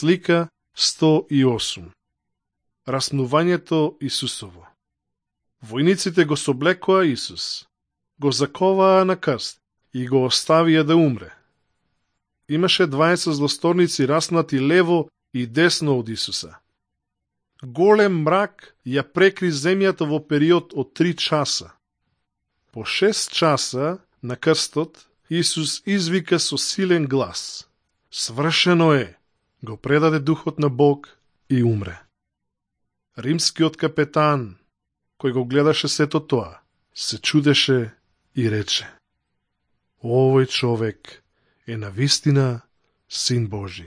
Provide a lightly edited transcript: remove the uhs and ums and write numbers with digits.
Слика 108. Распнувањето Исусово. Војниците го соблекоа Исус, го заковаа на крст и го оставија да умре. Имаше 20 злосторници раснати лево и десно од Исуса. Голем мрак ја прекри земјата во период од 3 часа. По 6 часа на крстот Исус извика со силен глас: "Свршено е!" Го предаде духот на Бог и умре. Римскиот капетан, кој го гледаше сето тоа, се чудеше и рече: "Овој човек е навистина Син Божи."